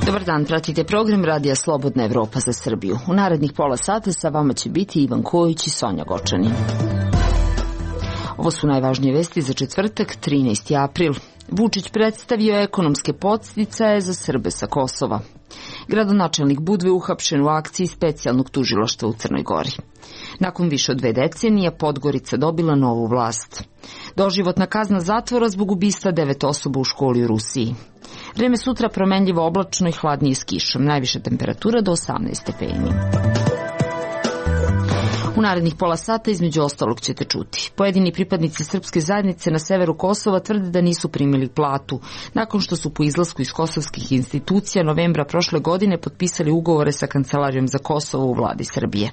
Dobar dan, pratite program Radija Slobodna Evropa za Srbiju. U narednih pola sata sa vama će biti Ivan Kojić i Sonja Gočanin. Ovo su najvažnije vesti za četvrtak, 13. april. Vučić predstavio ekonomske podsticaje za Srbe sa Kosova. Gradonačelnik Budve uhapšen u akciji specijalnog tužilaštva u Crnoj Gori. Nakon više od 2 decenije Podgorica dobila novu vlast. Doživotna kazna zatvora zbog ubistva 9 osoba u školi u Rusiji. Vreme sutra promenljivo oblačno i hladnije s kišom, najviša temperatura do 18 stepeni. U narednih pola sata između ostalog ćete čuti. Pojedini pripadnici srpske zajednice na severu Kosova tvrde da nisu primili platu, nakon što su po izlasku iz kosovskih institucija novembra prošle godine potpisali ugovore sa Kancelarijom za Kosovo u vladi Srbije.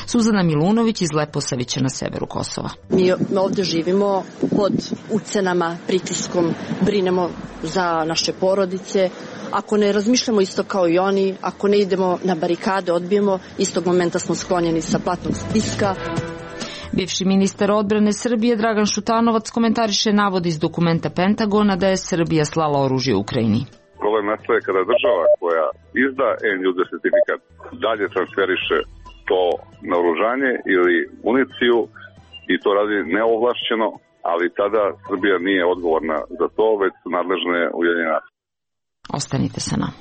Suzana Milunović iz Leposavića na severu Kosova. Mi ovdje živimo pod ucenama, pritiskom, brinemo za naše porodice. Ako ne razmišljamo isto kao i oni, ako ne idemo na barikade, odbijemo, istog momenta smo sklonjeni sa platnog spiska. Bivši ministar odbrane Srbije Dragan Šutanovac komentariše navode iz dokumenta Pentagona da je Srbija slala oružje u Ukrajini. Problem nastaje kada država koja izda end-user sertifikat dalje transferiše to naoružanje ili municiju i to radi neovlašćeno, ali tada Srbija nije odgovorna za to, već su nadležne Ujedinjene nacije. Ostanite sa nama.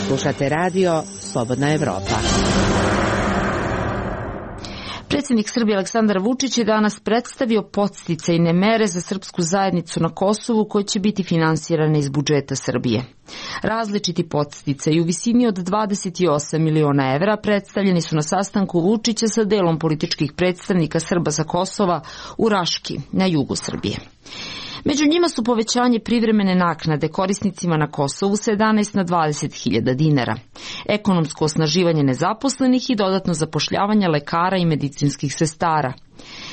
Slušate radio Slobodna Evropa. Predsjednik Srbije Aleksandar Vučić je danas predstavio podsticajne mere za srpsku zajednicu na Kosovu koje će biti finansirane iz budžeta Srbije. Različiti podsticaji u visini od 28 miliona evra predstavljeni su na sastanku Vučića sa delom političkih predstavnika Srba sa Kosova u Raški, na jugu Srbije. Među njima su povećanje privremene naknade korisnicima na Kosovu sa 11 na 20.000 dinara, ekonomsko osnaživanje nezaposlenih i dodatno zapošljavanje lekara i medicinskih sestara.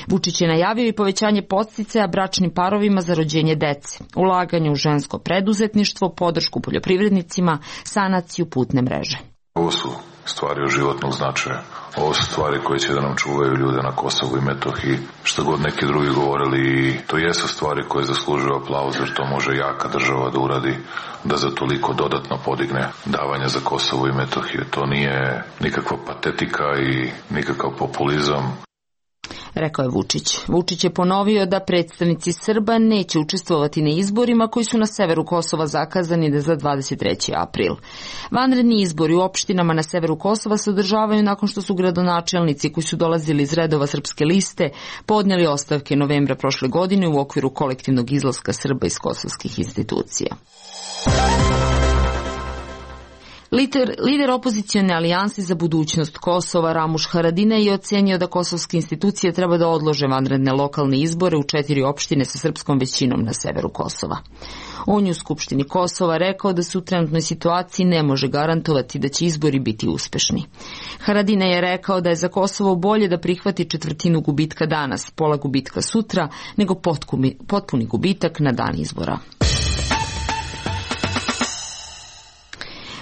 Vučić je najavio i povećanje podsticaja bračnim parovima za rođenje dece, ulaganje u žensko preduzetništvo, podršku poljoprivrednicima, sanaciju putne mreže. Ovo su stvari od životnog značaja. Ovo su stvari koje će da nam čuvaju ljude na Kosovu i Metohiji. Što god neki drugi govorili, to jesu stvari koje zaslužuju aplauz, jer to može jaka država da uradi, da za toliko dodatno podigne davanja za Kosovo i Metohiju. To nije nikakva patetika i nikakav populizam. Rekao je Vučić. Vučić je ponovio da predstavnici Srba neće učestvovati na izborima koji su na severu Kosova zakazani za 23. april. Vanredni izbori u opštinama na severu Kosova se održavaju nakon što su gradonačelnici koji su dolazili iz redova Srpske liste podnijeli ostavke novembra prošle godine u okviru kolektivnog izlaska Srba iz kosovskih institucija. Lider opozicione alijanse za budućnost Kosova Ramuš Haradinaj je ocenio da kosovske institucije treba da odlože vanredne lokalne izbore u 4 opštine sa srpskom većinom na severu Kosova. On je u Skupštini Kosova rekao da se u trenutnoj situaciji ne može garantovati da će izbori biti uspešni. Haradinaj je rekao da je za Kosovo bolje da prihvati 1/4 gubitka danas, pola gubitka sutra, nego potpuni gubitak na dan izbora.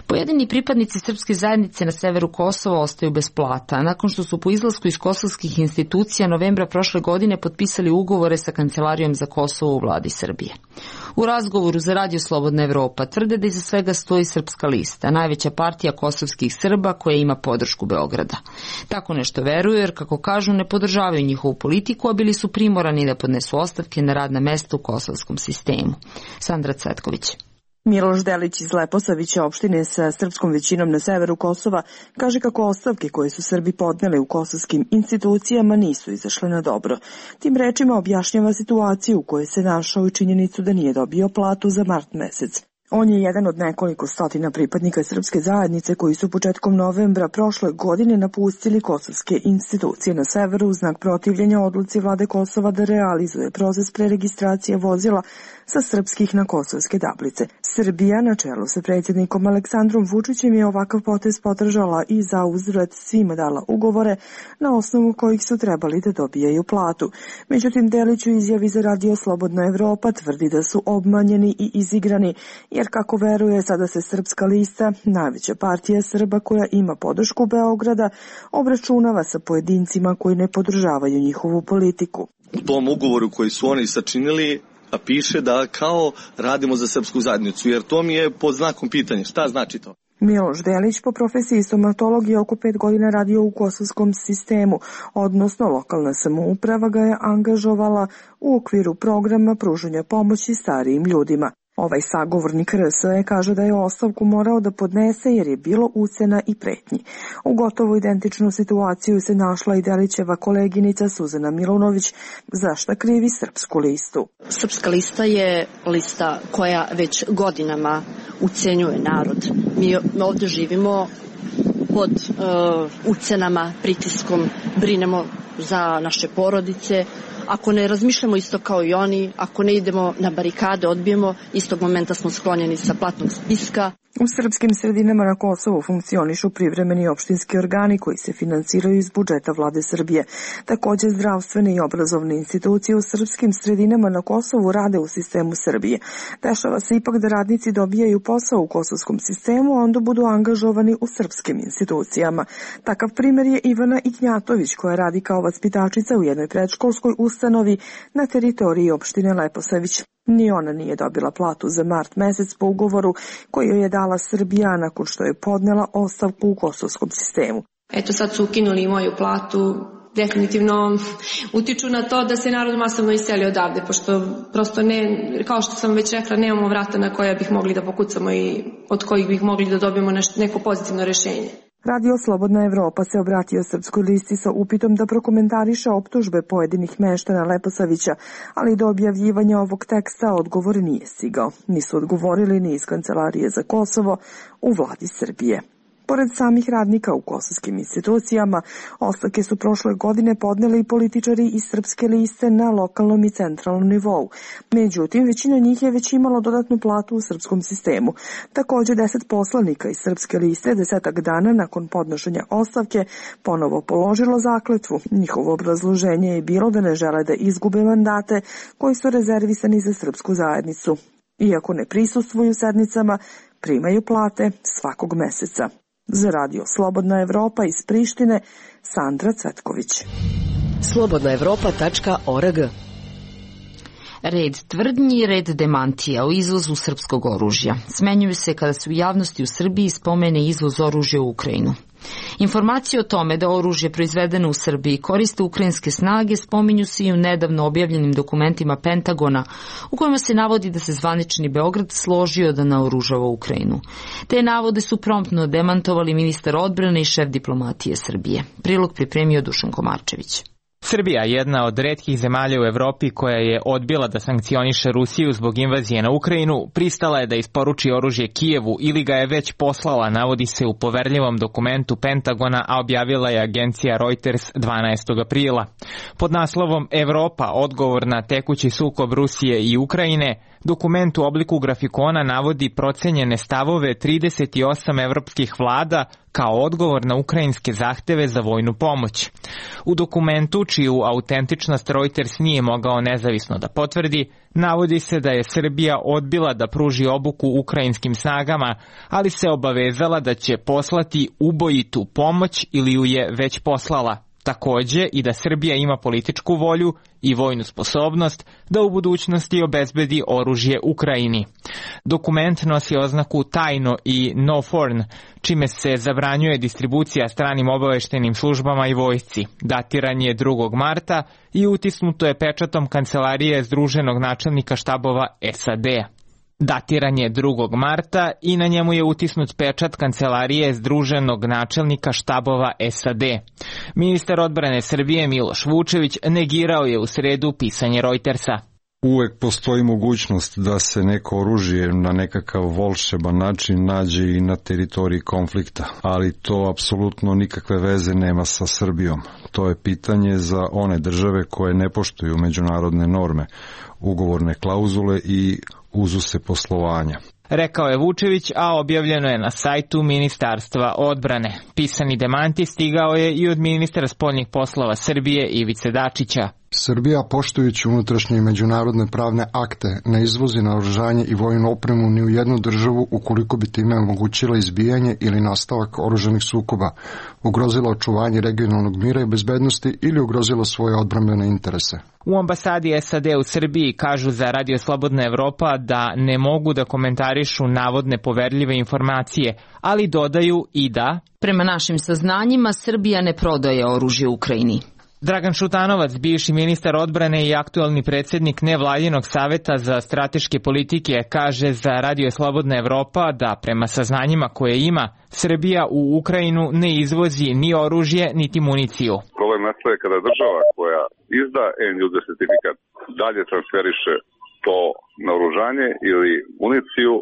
Pojedini pripadnici srpske zajednice na severu Kosova ostaju bez plata, nakon što su po izlasku iz kosovskih institucija novembra prošle godine potpisali ugovore sa Kancelarijom za Kosovo u vladi Srbije. U razgovoru za Radio Slobodna Evropa tvrde da iza svega stoji Srpska lista, najveća partija kosovskih Srba koja ima podršku Beograda. Tako nešto veruju jer, kako kažu, ne podržavaju njihovu politiku, a bili su primorani da podnesu ostavke na radna mesta u kosovskom sistemu. Sandra Cvetković. Miloš Delić iz Leposavića, opštine sa srpskom većinom na severu Kosova, kaže kako ostavke koje su Srbi podneli u kosovskim institucijama nisu izašle na dobro. Tim rečima objašnjava situaciju u kojoj se našao i činjenicu da nije dobio platu za mart mesec. On je jedan od nekoliko stotina pripadnika srpske zajednice koji su početkom novembra prošle godine napustili kosovske institucije na severu u znak protivljenja odluci vlade Kosova da realizuje proces preregistracije vozila sa srpskih na kosovske tablice. Srbija na čelu sa predsjednikom Aleksandrom Vučićem je ovakav potez podržala i za uzvrat svima dala ugovore na osnovu kojih su trebali da dobijaju platu. Međutim, Delić u izjavi za Radio Slobodna Evropa tvrdi da su obmanjeni i izigrani, jer kako veruje sada se Srpska lista, najveća partija Srba koja ima podršku Beograda, obračunava sa pojedincima koji ne podržavaju njihovu politiku. U tom ugovoru koji su oni sačinili piše da kao radimo za srpsku zajednicu, jer to mi je pod znakom pitanja. Šta znači to? Miloš Delić po profesiji stomatolog je oko 5 godina radio u kosovskom sistemu, odnosno lokalna samouprava ga je angažovala u okviru programa pružanja pomoći starijim ljudima. Ovaj sagovornik RSE kaže da je ostavku morao da podnese jer je bilo ucena i pretnji. U gotovo identičnu situaciju se našla i Delićeva koleginica Suzana Milunović, za šta krivi Srpsku listu. Srpska lista je lista koja već godinama ucenjuje narod. Mi ovdje živimo pod ucenama, pritiskom, brinemo za naše porodice. Ako ne razmišljamo isto kao i oni, ako ne idemo na barikade, odbijemo, istog momenta smo sklonjeni sa platnog spiska. U srpskim sredinama na Kosovu funkcionišu privremeni opštinski organi koji se finansiraju iz budžeta vlade Srbije. Također zdravstvene i obrazovne institucije u srpskim sredinama na Kosovu rade u sistemu Srbije. Dešava se ipak da radnici dobijaju posao u kosovskom sistemu, a onda budu angažovani u srpskim institucijama. Takav primjer je Ivana Ignjatović koja radi kao vaspitačica u jednoj predškolskoj ustanovi na teritoriji opštine Leposavić. Ni ona nije dobila platu za mart mesec po ugovoru koji joj je dala Srbija nakon što je podnela ostavku u kosovskom sistemu. Eto sad su ukinuli moju platu, definitivno utiču na to da se narod masovno iseli odavde, pošto prosto ne, kao što sam već rekla, nemamo vrata na koja bih mogli da pokucamo i od kojih bih mogli da dobijemo neko pozitivno rješenje. Radio Slobodna Evropa se obratio Srpskoj listi sa upitom da prokomentariše optužbe pojedinih meštana Leposavića, ali do objavljivanja ovog teksta odgovor nije stigao. Nisu odgovorili ni iz Kancelarije za Kosovo u vladi Srbije. Pored samih radnika u kosovskim institucijama, ostavke su prošle godine podneli i političari iz Srpske liste na lokalnom i centralnom nivou. Međutim, većina njih je već imalo dodatnu platu u srpskom sistemu. Također 10 poslanika iz Srpske liste 10 dana nakon podnošenja ostavke ponovo položilo zakletvu. Njihovo obrazloženje je bilo da ne žele da izgube mandate koji su rezervisani za srpsku zajednicu. Iako ne prisustvuju sednicama, primaju plate svakog meseca. Za Radio Slobodna Evropa iz Prištine, Sandra Cvetković. slobodnaevropa.org. Red tvrdnji i red demantija o izvozu srpskog oružja. Smenjuju se kada se u javnosti u Srbiji spomene izvoz oružja u Ukrajinu. Informacije o tome da oružje proizvedeno u Srbiji koriste ukrajinske snage spominju se i u nedavno objavljenim dokumentima Pentagona, u kojima se navodi da se zvanični Beograd složio da naoružava Ukrajinu. Te navode su promptno demantovali ministar odbrane i šef diplomatije Srbije. Prilog pripremio Dušan Komarčević. Srbija, jedna od retkih zemalja u Evropi koja je odbila da sankcioniše Rusiju zbog invazije na Ukrajinu, pristala je da isporuči oružje Kijevu ili ga je već poslala, navodi se u poverljivom dokumentu Pentagona, a objavila je agencija Reuters 12. aprila. Pod naslovom Evropa, odgovor na tekući sukob Rusije i Ukrajine, dokument u obliku grafikona navodi procenjene stavove 38 evropskih vlada kao odgovor na ukrajinske zahteve za vojnu pomoć. U dokumentu, čiju autentičnost Reuters nije mogao nezavisno da potvrdi, navodi se da je Srbija odbila da pruži obuku ukrajinskim snagama, ali se obavezala da će poslati ubojitu pomoć ili ju je već poslala. Takođe i da Srbija ima političku volju i vojnu sposobnost da u budućnosti obezbedi oružje Ukrajini. Dokument nosi oznaku tajno i no foreign, čime se zabranjuje distribucija stranim obaveštenim službama i vojsci. Datiran je 2. marta i utisnuto je pečatom Kancelarije Združenog načelnika štabova SAD-a. Datiran je 2. marta i na njemu je utisnut pečat Kancelarije Združenog načelnika štabova SAD. Ministar odbrane Srbije Miloš Vučević negirao je u sredu pisanje Reutersa. uvek postoji mogućnost da se neko oružje na nekakav volšeban način nađe i na teritoriji konflikta, ali to apsolutno nikakve veze nema sa Srbijom. To je pitanje za one države koje ne poštuju međunarodne norme, ugovorne klauzule i uzuse poslovanja. Rekao je Vučević, a objavljeno je na sajtu Ministarstva odbrane. Pisani demanti stigao je i od ministra spoljnih poslova Srbije Ivice Dačića. Srbija, poštujući unutrašnje i međunarodne pravne akte, ne izvozi naoružanje i vojnu opremu ni u jednu državu ukoliko bi time omogućila izbijanje ili nastavak oružanih sukoba, ugrozila očuvanje regionalnog mira i bezbednosti ili ugrozila svoje odbrambene interese. U ambasadi SAD u Srbiji kažu za Radio Slobodna Evropa da ne mogu da komentarišu navodne poverljive informacije, ali dodaju i da prema našim saznanjima Srbija ne prodaje oružje Ukrajini. Dragan Šutanovac, bivši ministar odbrane i aktuelni predsjednik nevladinog saveta za strateške politike, kaže za Radio Slobodna Evropa da prema saznanjima koje ima, Srbija u Ukrajinu ne izvozi ni oružje, niti municiju. Problem nastaje kada država koja izda end-user sertifikat dalje transferiše to naoružanje ili municiju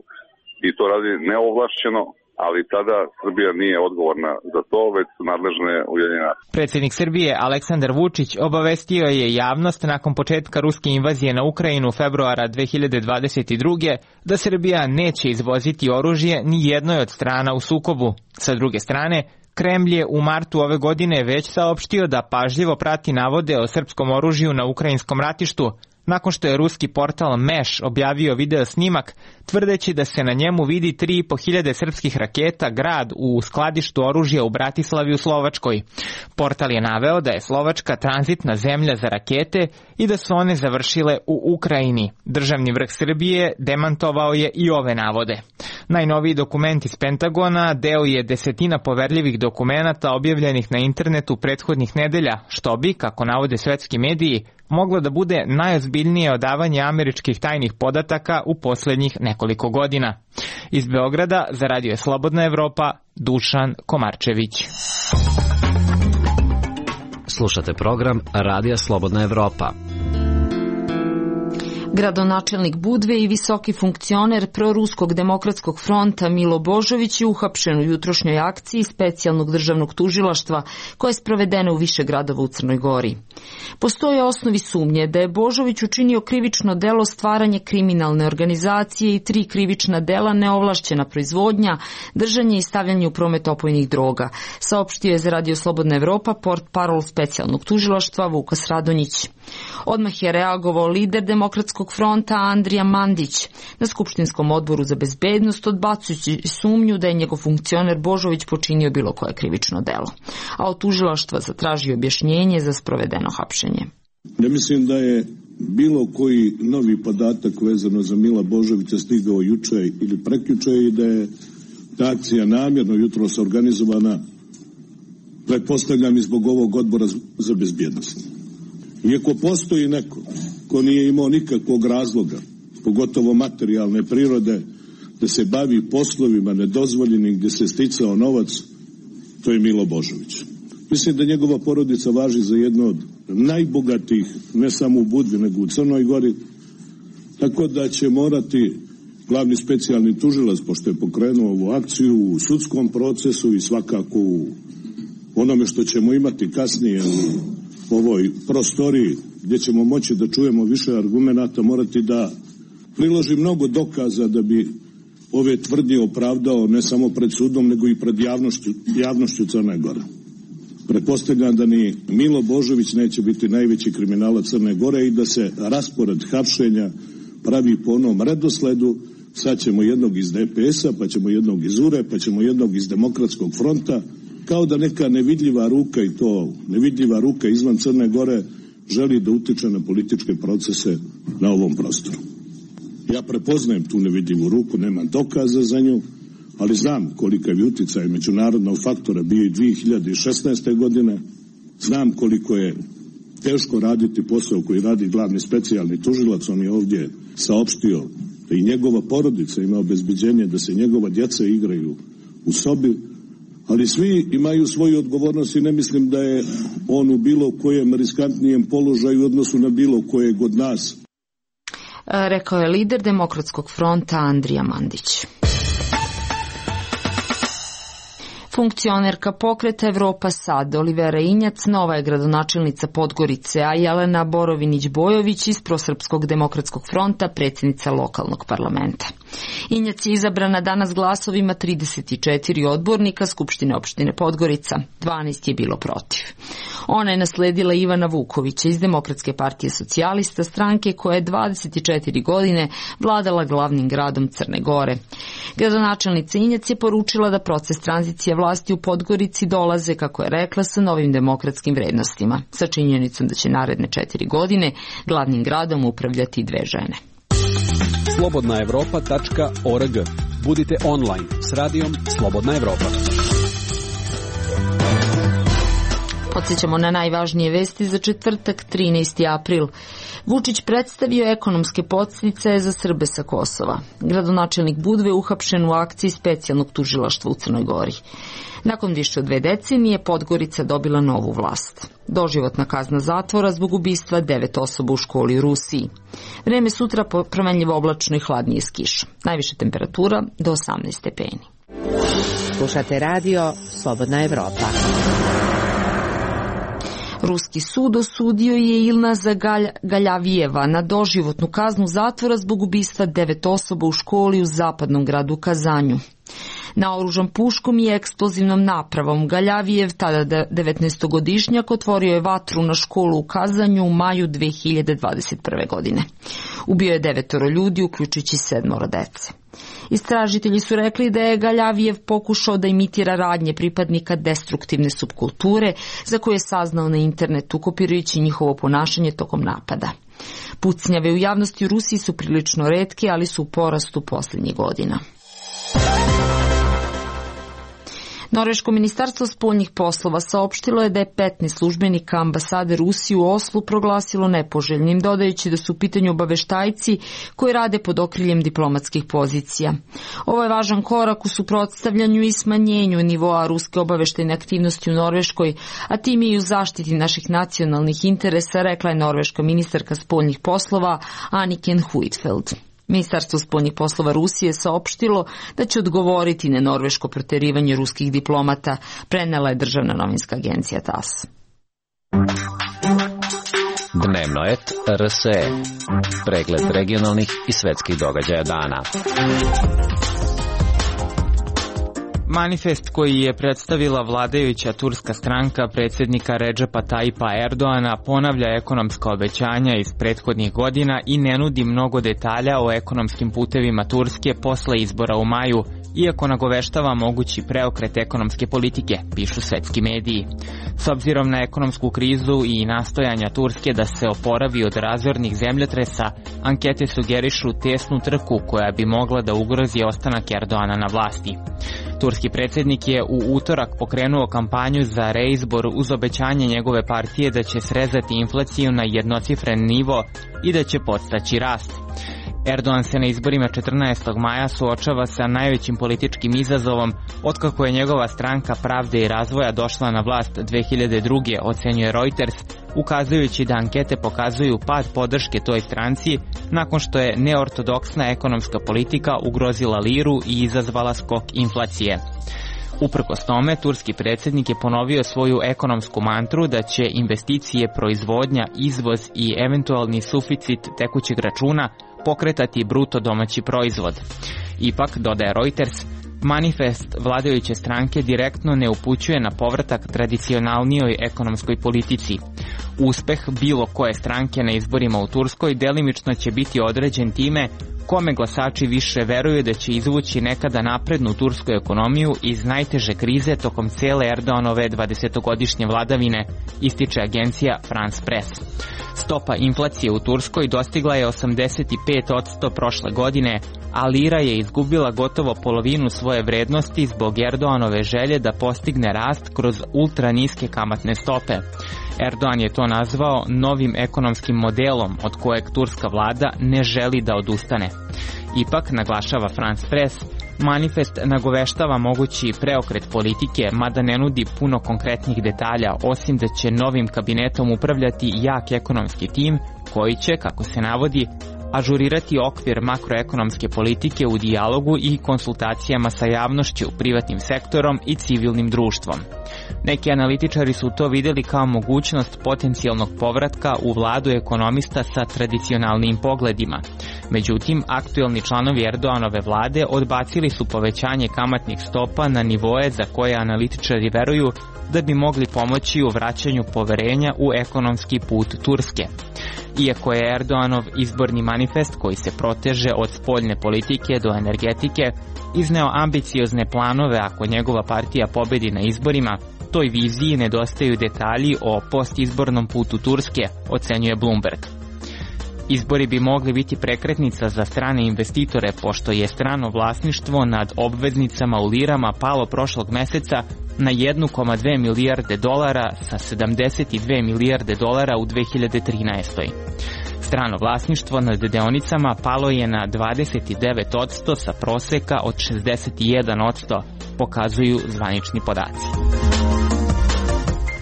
i to radi neovlašćeno, ali tada Srbija nije odgovorna za to, već su nadležne Ujedinjene nacije. Predsjednik Srbije Aleksandar Vučić obavestio je javnost nakon početka ruske invazije na Ukrajinu februara 2022. da Srbija neće izvoziti oružje ni jednoj od strana u sukobu. Sa druge strane, Kremlj je u martu ove godine već saopštio da pažljivo prati navode o srpskom oružju na ukrajinskom ratištu, nakon što je ruski portal Meš objavio video snimak, tvrdeći da se na njemu vidi 3.500 srpskih raketa grad u skladištu oružja u Bratislavi u Slovačkoj. Portal je naveo da je Slovačka tranzitna zemlja za rakete i da su one završile u Ukrajini. Državni vrh Srbije demantovao je i ove navode. Najnoviji dokument iz Pentagona deo je desetina poverljivih dokumenata objavljenih na internetu prethodnih nedelja, što bi, kako navode svetski mediji, moglo da bude najozbiljnije odavanje američkih tajnih podataka u posljednjih nekoliko godina. Iz Beograda za Radio Slobodna Evropa, Dušan Komarčević. Slušate program Radija Slobodna Evropa. Gradonačelnik Budve i visoki funkcioner proruskog demokratskog fronta Milo Božović je uhapšen u jutrošnjoj akciji specijalnog državnog tužilaštva koja je sprovedena u više gradova u Crnoj Gori. Postoje osnovi sumnje da je Božović učinio krivično delo stvaranje kriminalne organizacije i 3 krivična dela neovlašćena proizvodnja, držanje i stavljanje u promet opojnih droga, saopštio je za Radio Slobodna Evropa portparol specijalnog tužilaštva Vukas Radonjić. Odmah je reagovao lider demokratskog fronta Andrija Mandić na Skupštinskom odboru za bezbednost, odbacujući sumnju da je njegov funkcioner Božović počinio bilo koje krivično delo, a od tužilaštva zatražio objašnjenje za sprovedeno hapšenje. Ne mislim da je bilo koji novi podatak vezano za Mila Božovića stigao juče ili prekjuče i da je ta akcija namjerno jutros organizovana, pretpostavljam i zbog ovog odbora za bezbjednost. Iako postoji neko ko nije imao nikakvog razloga, pogotovo materijalne prirode, da se bavi poslovima nedozvoljenim gdje se sticao novac, to je Milo Božović. Mislim da njegova porodica važi za jedno od najbogatijih, ne samo u Budvi, nego u Crnoj Gori, tako da će morati glavni specijalni tužilac, pošto je pokrenuo ovu akciju, u sudskom procesu i svakako u onome što ćemo imati kasnije u ovoj prostoriji, gdje ćemo moći da čujemo više argumenata, morati da priloži mnogo dokaza da bi ove tvrdnje opravdao ne samo pred sudom, nego i pred javnošću Crne Gore. Pretpostavljam da ni Milo Božović neće biti najveći kriminalac Crne Gore i da se raspored hapšenja pravi po onom redosledu. Sad ćemo jednog iz DPS-a, pa ćemo jednog iz URE, pa ćemo jednog iz Demokratskog fronta, kao da neka nevidljiva ruka, i to nevidljiva ruka izvan Crne Gore, želi da utiče na političke procese na ovom prostoru. Ja prepoznajem tu nevidljivu ruku, nemam dokaza za nju, ali znam kolika je uticaj međunarodnog faktora bio i 2016. godine, znam koliko je teško raditi posao koji radi glavni specijalni tužilac. On je ovdje saopštio da i njegova porodica ima obezbeđenje da se njegova djeca igraju u sobi, ali svi imaju svoju odgovornost i ne mislim da je on u bilo kojem riskantnijem položaju u odnosu na bilo kojeg od nas. rekao je lider Demokratskog fronta Andrija Mandić. Funkcionerka pokreta Evropa Sad, Olivera Injac, nova je gradonačelnica Podgorice, a Jelena Borovinić-Bojović iz Prosrpskog demokratskog fronta, predsjednica lokalnog parlamenta. Injac je izabrana danas glasovima 34 odbornika Skupštine opštine Podgorica, 12 je bilo protiv. Ona je nasledila Ivana Vukovića iz Demokratske partije socijalista, stranke koja je 24 godine vladala glavnim gradom Crne Gore. Gradonačelnica Injac je poručila da proces tranzicije vlasti u Podgorici dolaze, kako je rekla, sa novim demokratskim vrednostima, sa činjenicom da će naredne 4 godine glavnim gradom upravljati 2 žene. slobodnaevropa.org. Budite online s radijom Slobodna Evropa. Podsjećamo na najvažnije vesti za četvrtak, 13. april. Vučić predstavio ekonomske podsticaje za Srbe sa Kosova. Gradonačelnik Budve uhapšen u akciji specijalnog tužilaštva u Crnoj Gori. Nakon više od 2 decenije Podgorica dobila novu vlast. Doživotna kazna zatvora zbog ubistva 9 osoba u školi u Rusiji. Vreme sutra promenljivo oblačno i hladnije s kišom. Najviša temperatura do 18 stepeni. Slušate radio Slobodna Evropa. Ruski sud osudio je Ilnaza Galjavijeva na doživotnu kaznu zatvora zbog ubistva 9 osoba u školi u zapadnom gradu Kazanju. Naoružan puškom i eksplozivnom napravom Galjavijev, tada 19-godišnjak, otvorio je vatru na školu u Kazanju u maju 2021. godine. Ubio je 9 ljudi, uključujući 7 dece. Istražitelji su rekli da je Galjavijev pokušao da imitira radnje pripadnika destruktivne subkulture za koje je saznao na internetu, kopirajući njihovo ponašanje tokom napada. Pucnjave u javnosti u Rusiji su prilično retke, ali su u porastu posljednjih godina. Norveško ministarstvo spoljnih poslova saopštilo je da je 15 službenika ambasade Rusije u Oslu proglasilo nepoželjnim, dodajući da su u pitanju obaveštajci koji rade pod okriljem diplomatskih pozicija. Ovo je važan korak u suprotstavljanju i smanjenju nivoa ruske obaveštajne aktivnosti u Norveškoj, a tim i u zaštiti naših nacionalnih interesa, rekla je norveška ministarka spoljnih poslova Anniken Huitfeldt. Ministarstvo spoljnih poslova Rusije saopštilo da će odgovoriti na norveško proterivanje ruskih diplomata, prenela je državna novinska agencija TASS. Dnevno et RSE. Pregled regionalnih i svetskih događaja dana. Manifest koji je predstavila vladajuća turska stranka predsjednika Redžepa Tayyipa Erdoana ponavlja ekonomska obećanja iz prethodnih godina i ne nudi mnogo detalja o ekonomskim putevima Turske posle izbora u maju, iako nagoveštava mogući preokret ekonomske politike, pišu svetski mediji. S obzirom na ekonomsku krizu i nastojanja Turske da se oporavi od razornih zemljotresa, ankete sugerišu tesnu trku koja bi mogla da ugrozi ostanak Erdoana na vlasti. Turski predsjednik je u utorak pokrenuo kampanju za reizbor uz obećanje njegove partije da će srezati inflaciju na jednocifren nivo i da će podstaći rast. Erdogan se na izborima 14. maja suočava sa najvećim političkim izazovom otkako je njegova stranka Pravde i razvoja došla na vlast 2002. ocenjuje Reuters, ukazujući da ankete pokazuju pad podrške toj stranci nakon što je neortodoksna ekonomska politika ugrozila liru i izazvala skok inflacije. Uprkos tome, turski predsjednik je ponovio svoju ekonomsku mantru da će investicije, proizvodnja, izvoz i eventualni suficit tekućeg računa pokretati bruto domaći proizvod. Ipak, dodaje Reuters, manifest vladajuće stranke direktno ne upućuje na povratak tradicionalnijoj ekonomskoj politici. Uspeh bilo koje stranke na izborima u Turskoj delimično će biti određen time kome glasači više veruju da će izvući nekada naprednu tursku ekonomiju iz najteže krize tokom cele Erdoganove 20-godišnje vladavine, ističe agencija France Press. Stopa inflacije u Turskoj dostigla je 85% prošle godine, a lira je izgubila gotovo polovinu svoje vrednosti zbog Erdoganove želje da postigne rast kroz ultra niske kamatne stope. Erdogan je to nazvao novim ekonomskim modelom od kojeg turska vlada ne želi da odustane. Ipak, naglašava France Press, manifest nagoveštava mogući preokret politike, mada ne nudi puno konkretnih detalja, osim da će novim kabinetom upravljati jak ekonomski tim koji će, kako se navodi, ažurirati okvir makroekonomske politike u dijalogu i konsultacijama sa javnošću, privatnim sektorom i civilnim društvom. Neki analitičari su to vidjeli kao mogućnost potencijalnog povratka u vladu ekonomista sa tradicionalnim pogledima. Međutim, aktuelni članovi Erdoganove vlade odbacili su povećanje kamatnih stopa na nivoe za koje analitičari veruju da bi mogli pomoći u vraćanju poverenja u ekonomski put Turske. Iako je Erdoganov izborni manifest, koji se proteže od spoljne politike do energetike, izneo ambiciozne planove ako njegova partija pobedi na izborima, toj viziji nedostaju detalji o postizbornom putu Turske, ocenjuje Bloomberg. Izbori bi mogli biti prekretnica za strane investitore, pošto je strano vlasništvo nad obveznicama u lirama palo prošlog meseca na 1,2 milijarde dolara sa 72 milijarde dolara u 2013. Strano vlasništvo nad deonicama palo je na 29% sa proseka od 61%, pokazuju zvanični podaci.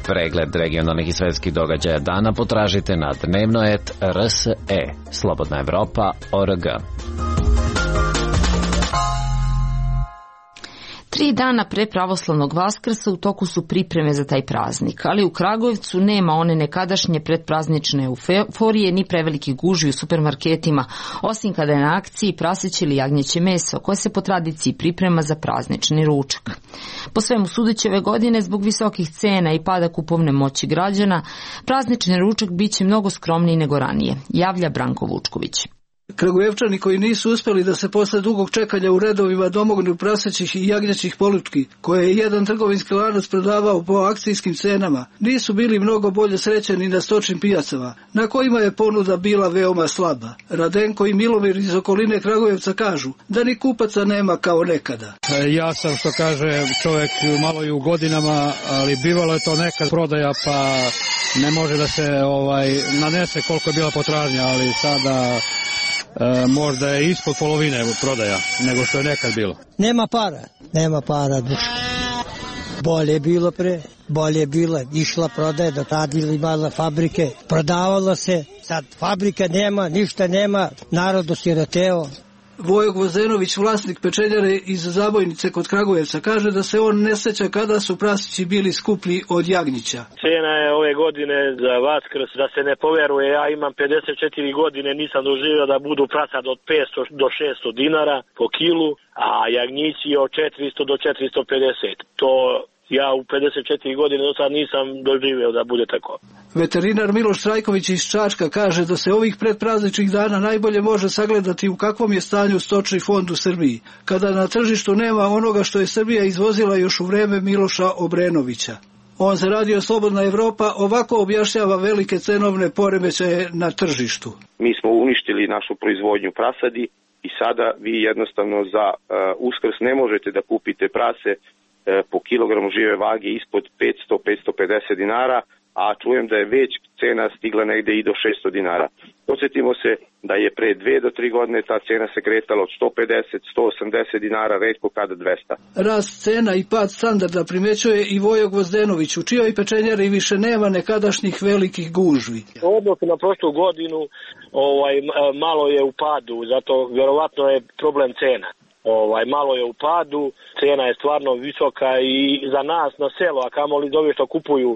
Pregled regionalnih i svetskih događaja dana potražite na dnevnoet.rse, Slobodna Evropa.org. 3 dana pre pravoslavnog Vaskrsa u toku su pripreme za taj praznik, ali u Kragujevcu nema one nekadašnje predpraznične euforije ni prevelikih gužvi u supermarketima, osim kada je na akciji praseće ili jagnjeće meso, koje se po tradiciji priprema za praznični ručak. Po svemu sudeći ove godine, zbog visokih cena i pada kupovne moći građana, praznični ručak biće mnogo skromniji nego ranije, javlja Branko Vučković. Kragujevčani koji nisu uspjeli da se posle dugog čekanja u redovima domognu prasećih i jagnjećih polutki, koje je jedan trgovinski lanac prodavao po akcijskim cenama, nisu bili mnogo bolje srećeni na stočnim pijacama, na kojima je ponuda bila veoma slaba. Radenko i Milomir iz okoline Kragujevca kažu da ni kupaca nema kao nekada. Ja sam, što kaže čovjek, malo i u godinama, ali bivalo je to nekad prodaja, pa ne može da se nanese koliko je bila potražnja, ali sada možda je ispod polovine prodaja nego što je nekad bilo. Nema para duša. Bolje je bilo pre, bolje je bilo, išla prodaja, do tada imala fabrike, prodavalo se, sad fabrika nema, ništa nema, narod osiroteo. Vojo Gvozdenović, vlasnik pečenjare iz Zabojnice kod Kragujevca, kaže da se on ne seća kada su prasići bili skuplji od jagnjića. Cena je ove godine za Vaskrs, da se ne poveruje, ja imam 54 godine, nisam doživio da budu prasad od 500 do 600 dinara po kilu, a jagnjići od 400 do 450. To ja u 54 godine do sad nisam doživio da bude tako. Veterinar Miloš Trajković iz Čačka kaže da se ovih predprazničnih dana najbolje može sagledati u kakvom je stanju stočni fond u Srbiji, kada na tržištu nema onoga što je Srbija izvozila još u vreme Miloša Obrenovića. On za Radio Slobodna Evropa ovako objašnjava velike cenovne poremećaje na tržištu. Mi smo uništili našu proizvodnju prasadi i sada vi jednostavno za Uskrs ne možete da kupite prase po kilogramu žive vage ispod 500-550 dinara, a čujem da je već cena stigla negde i do 600 dinara. Podsjetimo se da je pre 2 do 3 godine ta cena se kretala od 150-180 dinara, retko kada 200. Rast cena i pad standarda primećuje i Vojo Gvozdenović, u čijoj pečenjari više nema nekadašnjih velikih gužvi. Odnosno na prošlu godinu malo je u padu, zato vjerovatno je problem cena. Malo je u padu, cena je stvarno visoka i za nas na selo, a kamoli za ove što kupuju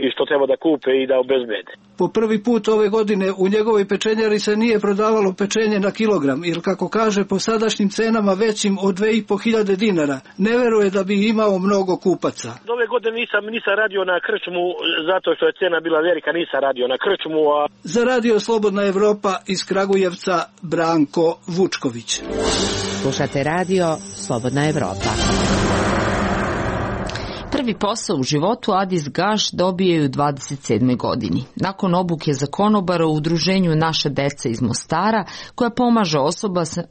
i što treba da kupe i da obezbede. Po prvi put ove godine u njegovoj pečenjari se nije prodavalo pečenje na kilogram, jer kako kaže po sadašnjim cenama većim od 2500 dinara, ne veruje da bi imao mnogo kupaca. Ove godine nisam radio na krčmu, zato što je cena bila velika, nisam radio na krčmu. Za Radio Slobodna Evropa iz Kragujevca, Branko Vučković. Slušate Radio Slobodna Evropa. Prvi posao u životu Adis Gaš dobio je u 27. godini. Nakon obuke za konobara u udruženju Naša deca iz Mostara, koja pomaže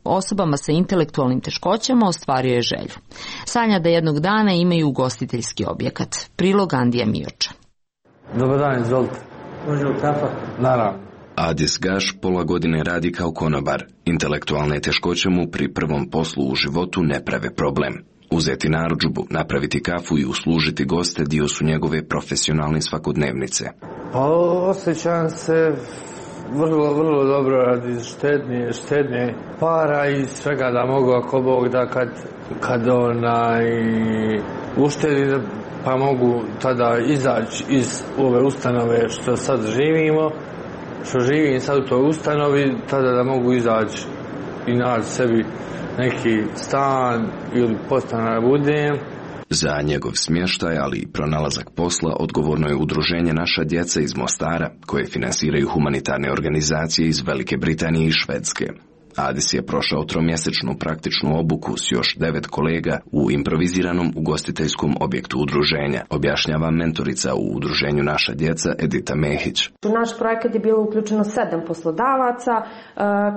osobama sa intelektualnim teškoćama, ostvario je želju. Sanja da jednog dana imaju ugostiteljski objekat. Prilog Andija Mioča. Dobar dan, izvolite. Može li kafa? Naravno. Adis Gaš pola godine radi kao konobar. Intelektualne teškoće mu pri prvom poslu u životu ne prave problem. Uzeti narudžbu, napraviti kafu i uslužiti goste dio su njegove profesionalne svakodnevnice. Osjećam se vrlo dobro radi štednje para i svega da mogu ako Bog da kad uštedi pa mogu tada izaći iz ove ustanove što sad živimo, što živim sad u toj ustanovi, tada da mogu izaći i naći sebi neki stan ili podstanar budem. Za njegov smještaj, ali i pronalazak posla, odgovorno je udruženje Naša djeca iz Mostara, koje finansiraju humanitarne organizacije iz Velike Britanije i Švedske. Adis je prošao tromjesečnu praktičnu obuku s još 9 kolega u improviziranom ugostiteljskom objektu udruženja, objašnjava mentorica u udruženju Naša djeca Edita Mehić. U naš projekat je bilo uključeno 7 poslodavaca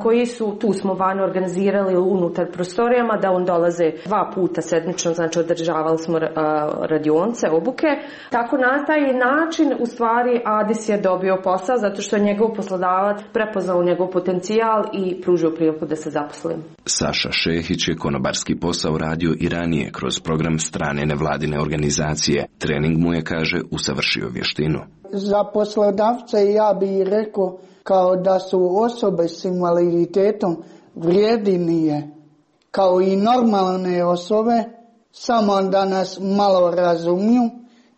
koji su, tu smo vani organizirali unutar prostorijama, da on dolaze 2 puta sedmično, znači održavali smo radionce, obuke. Tako na taj način u stvari Adis je dobio posao zato što je njegov poslodavac prepoznao njegov potencijal i pružio da se zaposlim. Saša Šehić je konobarski posao radio i ranije kroz program strane nevladine organizacije. Trening mu je, kaže, usavršio vještinu. Za poslodavce ja bih rekao kao da su osobe s invaliditetom vrijednije kao i normalne osobe, samo da nas malo razumiju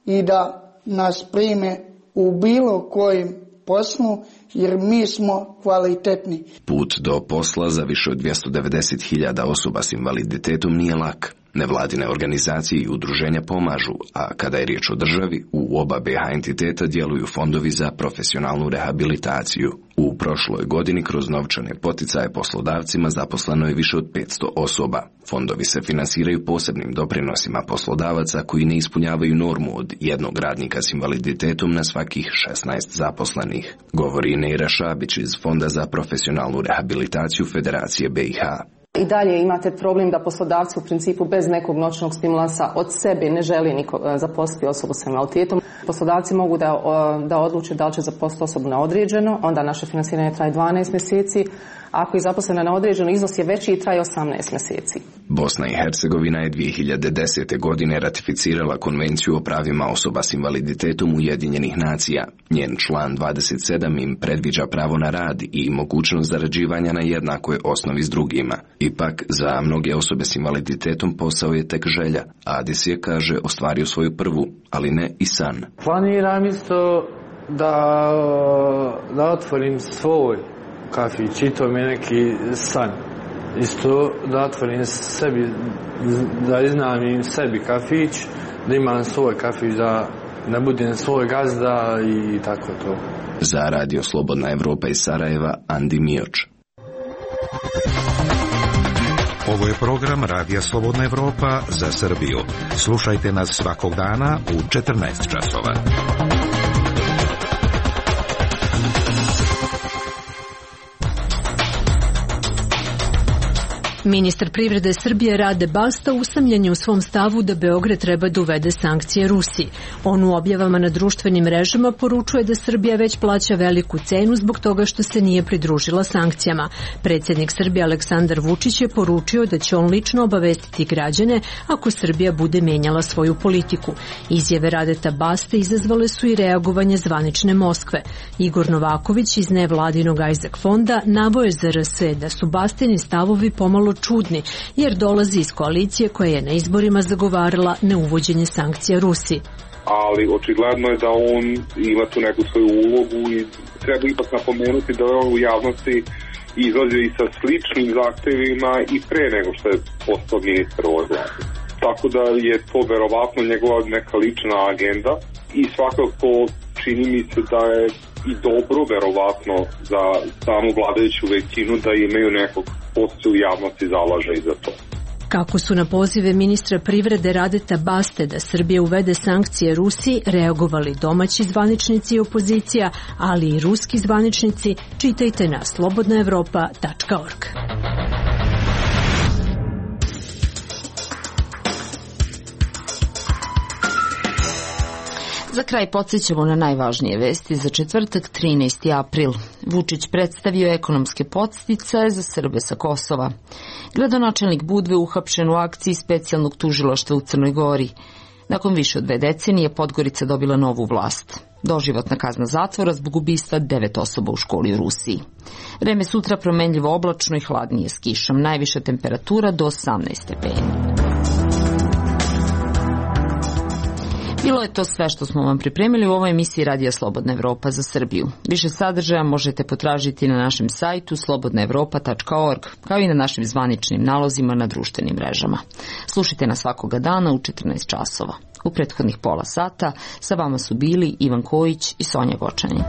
i da nas prime u bilo kojem poslu, jer mi smo kvalitetni. Put do posla za više od 290.000 osoba s invaliditetom nije lak. Nevladine organizacije i udruženja pomažu, a kada je riječ o državi, u oba BiH entiteta djeluju fondovi za profesionalnu rehabilitaciju. U prošloj godini kroz novčane poticaje poslodavcima zaposleno je više od 500 osoba. Fondovi se finansiraju posebnim doprinosima poslodavaca koji ne ispunjavaju normu od jednog radnika s invaliditetom na svakih 16 zaposlenih, govori Neira Šabić iz Fonda za profesionalnu rehabilitaciju Federacije BiH. I dalje imate problem da poslodavci u principu bez nekog noćnog stimulansa od sebe ne želi niko zaposliti osobu sa invaliditetom. Poslodavci mogu da odluče da li će zaposliti osobu na određeno, onda naše finansiranje traje 12 mjeseci. Ako je zaposlena na određeno, iznos je veći i traje 18 mjeseci. Bosna i Hercegovina je 2010. godine ratificirala Konvenciju o pravima osoba s invaliditetom Ujedinjenih nacija. Njen član 27 im predviđa pravo na rad i mogućnost zarađivanja na jednakoj osnovi s drugima. Ipak, za mnoge osobe s invaliditetom posao je tek želja. Adis je, kaže, ostvario svoju prvu, ali ne i san. Planiram isto da otvorim svoj kafić i to mi je neki san. Isto da otvorim sebi, da iznajmim sebi kafić, da imam svoj kafić, da budem svoj gazda i tako to. Za Radio Slobodna Evropa iz Sarajeva, Andi Mioč. Ovo je program Radija Slobodna Evropa za Srbiju. Slušajte nas svakog dana u 14 časova. Ministar privrede Srbije Rade Basta usamljen je u svom stavu da Beograd treba da uvede sankcije Rusiji. On u objavama na društvenim mrežama poručuje da Srbija već plaća veliku cenu zbog toga što se nije pridružila sankcijama. Predsjednik Srbije Aleksandar Vučić je poručio da će on lično obavestiti građane ako Srbija bude menjala svoju politiku. Izjave Radeta Baste izazvale su i reagovanje zvanične Moskve. Igor Novaković iz nevladinog Isaac fonda naveo je za RS da su Bastini stavovi pomalo čudni, jer dolazi iz koalicije koja je na izborima zagovarala neuvođenje sankcija Rusiji. Ali očigledno je da on ima tu neku svoju ulogu i treba ipak napomenuti da je on u javnosti izlazio i sa sličnim zahtevima i pre nego što je postao ministar ove vlade. Tako da je to verovatno njegova neka lična agenda i svakako čini mi se da je i dobro verovatno za samu vladajuću većinu da imaju nekog ko se u javnosti zalaže i za to. Kako su na pozive ministra privrede Radeta Baste da Srbija uvede sankcije Rusiji reagovali domaći zvaničnici i opozicija, ali i ruski zvaničnici, čitajte na slobodnaevropa.org. Za kraj podsjećamo na najvažnije vesti za četvrtak 13. april. Vučić predstavio ekonomske podsticaje za Srbe sa Kosova. Gradonačelnik Budve uhapšen u akciji specijalnog tužilaštva u Crnoj Gori. Nakon više od 2 decenije Podgorica dobila novu vlast. Doživotna kazna zatvora zbog ubistva 9 osoba u školi u Rusiji. Vreme sutra promenljivo oblačno i hladnije s kišom. Najviša temperatura do 18 stepeni. Bilo je to sve što smo vam pripremili u ovoj emisiji Radija Slobodna Evropa za Srbiju. Više sadržaja možete potražiti na našem sajtu slobodnaevropa.org, kao i na našim zvaničnim nalozima na društvenim mrežama. Slušajte nas svakoga dana u 14 časova. U prethodnih pola sata sa vama su bili Ivan Kojić i Sonja Gočanin.